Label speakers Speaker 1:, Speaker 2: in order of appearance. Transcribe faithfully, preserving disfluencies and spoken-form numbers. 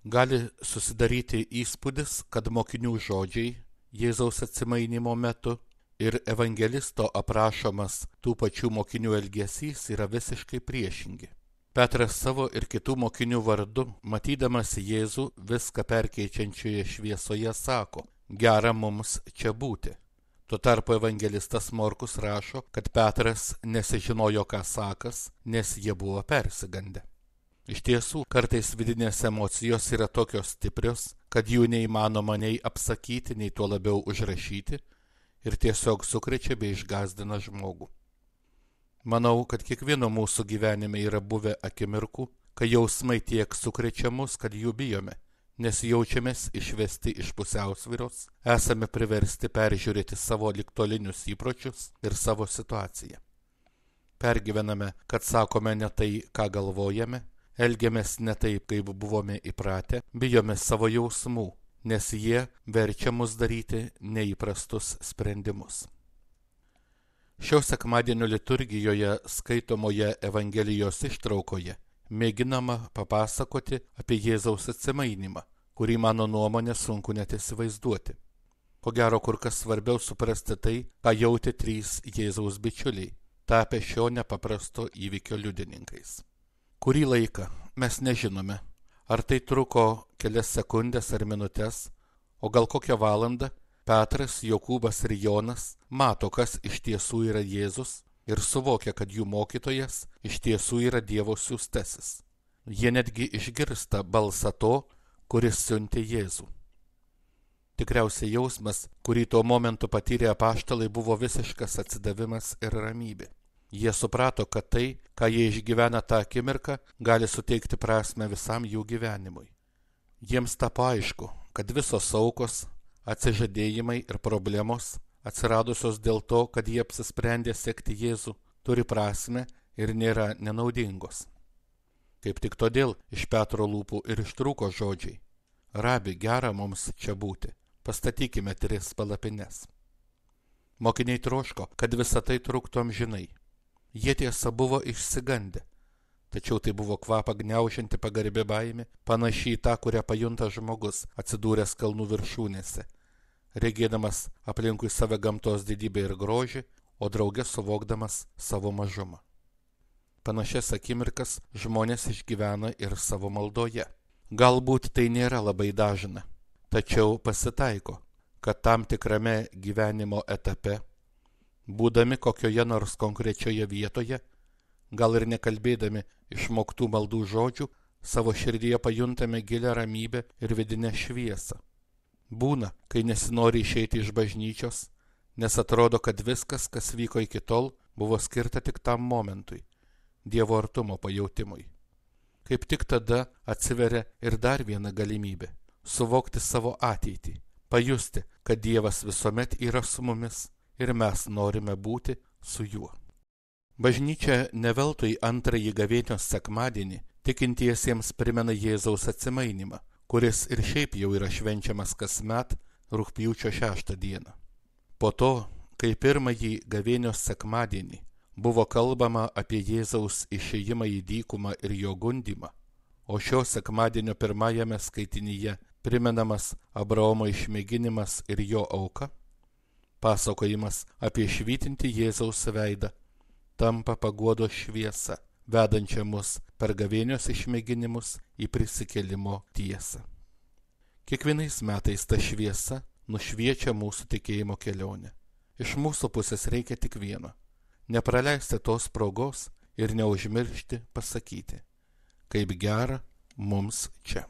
Speaker 1: Gali susidaryti įspūdis, kad mokinių žodžiai Jėzaus atsimainimo metu ir evangelisto aprašomas tų pačių mokinių elgesys yra visiškai priešingi. Petras savo ir kitų mokinių vardu, matydamas Jėzų viską perkeičiančioje šviesoje, sako: gera mums čia būti. Tuo tarpu evangelistas Morkus rašo, kad Petras nesižinojo, ką sakas, nes jie buvo persigandę. Iš tiesų, kartais vidinės emocijos yra tokios stiprios, kad jų neįmanoma nei apsakyti, nei tuo labiau užrašyti, ir tiesiog sukrečia bei išgąsdina žmogų. Manau, kad kiekvieno mūsų gyvenime yra buvę akimirkų, kai jausmai tiek sukrečia mus, kad jų bijome, nes jaučiamės išvesti iš pusiausvyros, esame priversti peržiūrėti savo ligtolinius įpročius ir savo situaciją. Pergyvename, kad sakome ne tai, ką galvojame, elgiamės ne taip, kaip buvome įpratę, bijome savo jausmų, nes jie verčia mus daryti neįprastus sprendimus. Šio sekmadienio liturgijoje skaitomoje Evangelijos ištraukoje mėginama papasakoti apie Jėzaus atsimainimą, kurį mano nuomonė sunku net įsivaizduoti. Ko gero, kur kas svarbiau suprasti tai, ką jautė trys Jėzaus bičiuliai, tapę šio nepaprasto įvykio liudininkais. Kurį laiką mes nežinome, ar tai truko kelias sekundės ar minutės, o gal kokią valandą, Petras, Jokūbas ir Jonas mato, kas iš tiesų yra Jėzus ir suvokia, kad jų mokytojas iš tiesų yra Dievo siųstasis. Jie netgi išgirsta balsą to, kuris siuntė Jėzų. Tikriausiai jausmas, kurį tuo momentu patyrė apaštalai, buvo visiškas atsidavimas ir ramybė. Jie suprato, kad tai, ką jie išgyvena tą akimirką, gali suteikti prasme visam jų gyvenimui. Jiems tapo aišku, kad visos aukos, atsižadėjimai ir problemos, atsiradusios dėl to, kad jie apsisprendė sekti Jėzų, turi prasme ir nėra nenaudingos. Kaip tik todėl iš Petro lūpų ir ištrūko žodžiai: Rabi, gera mums čia būti, pastatykime tris palapines. Mokiniai troško, kad visa tai truktų amžinai. Jie tiesa buvo išsigandę, tačiau tai buvo kvapą gniaužianti pagarbi baimė, panašiai į tą, kurią pajunta žmogus atsidūręs kalnų viršūnėse, regėdamas aplinkui save gamtos didybę ir grožį, o drauge suvokdamas savo mažumą. Panašias akimirkas žmonės išgyvena ir savo maldoje. Galbūt tai nėra labai dažna, tačiau pasitaiko, kad tam tikrame gyvenimo etape, būdami kokioje nors konkrečioje vietoje, gal ir nekalbėdami išmoktų maldų žodžių, savo širdyje pajuntame gilią ramybę ir vidinę šviesą. Būna, kai nesinori išeiti iš bažnyčios, nes atrodo, kad viskas, kas vyko iki tol, buvo skirta tik tam momentui, Dievo artumo pajautimui. Kaip tik tada atsiveria ir dar viena galimybė – suvokti savo ateitį, pajusti, kad Dievas visuomet yra su mumis ir mes norime būti su juo. Bažnyčia ne veltui antrąjį gavėnios sekmadienį tikintiesiems primena Jėzaus atsimainimą, kuris ir šiaip jau yra švenčiamas kasmet rugpjūčio šeštą dieną. Po to, kai pirmąjį gavėnios sekmadienį buvo kalbama apie Jėzaus išėjimą į dykumą ir jo gundymą, o šio sekmadienio pirmajame skaitinyje primenamas Abraomo išmėginimas ir jo auka, pasakojimas apie švytintį Jėzaus veidą tampa paguodos šviesa, vedančia mus per gavėnios išmėginimus į prisikėlimo tiesą. Kiekvienais metais ta šviesa nušviečia mūsų tikėjimo kelionę. Iš mūsų pusės reikia tik vieno – nepraleisti tos progos ir neužmiršti pasakyti, kaip gera mums čia.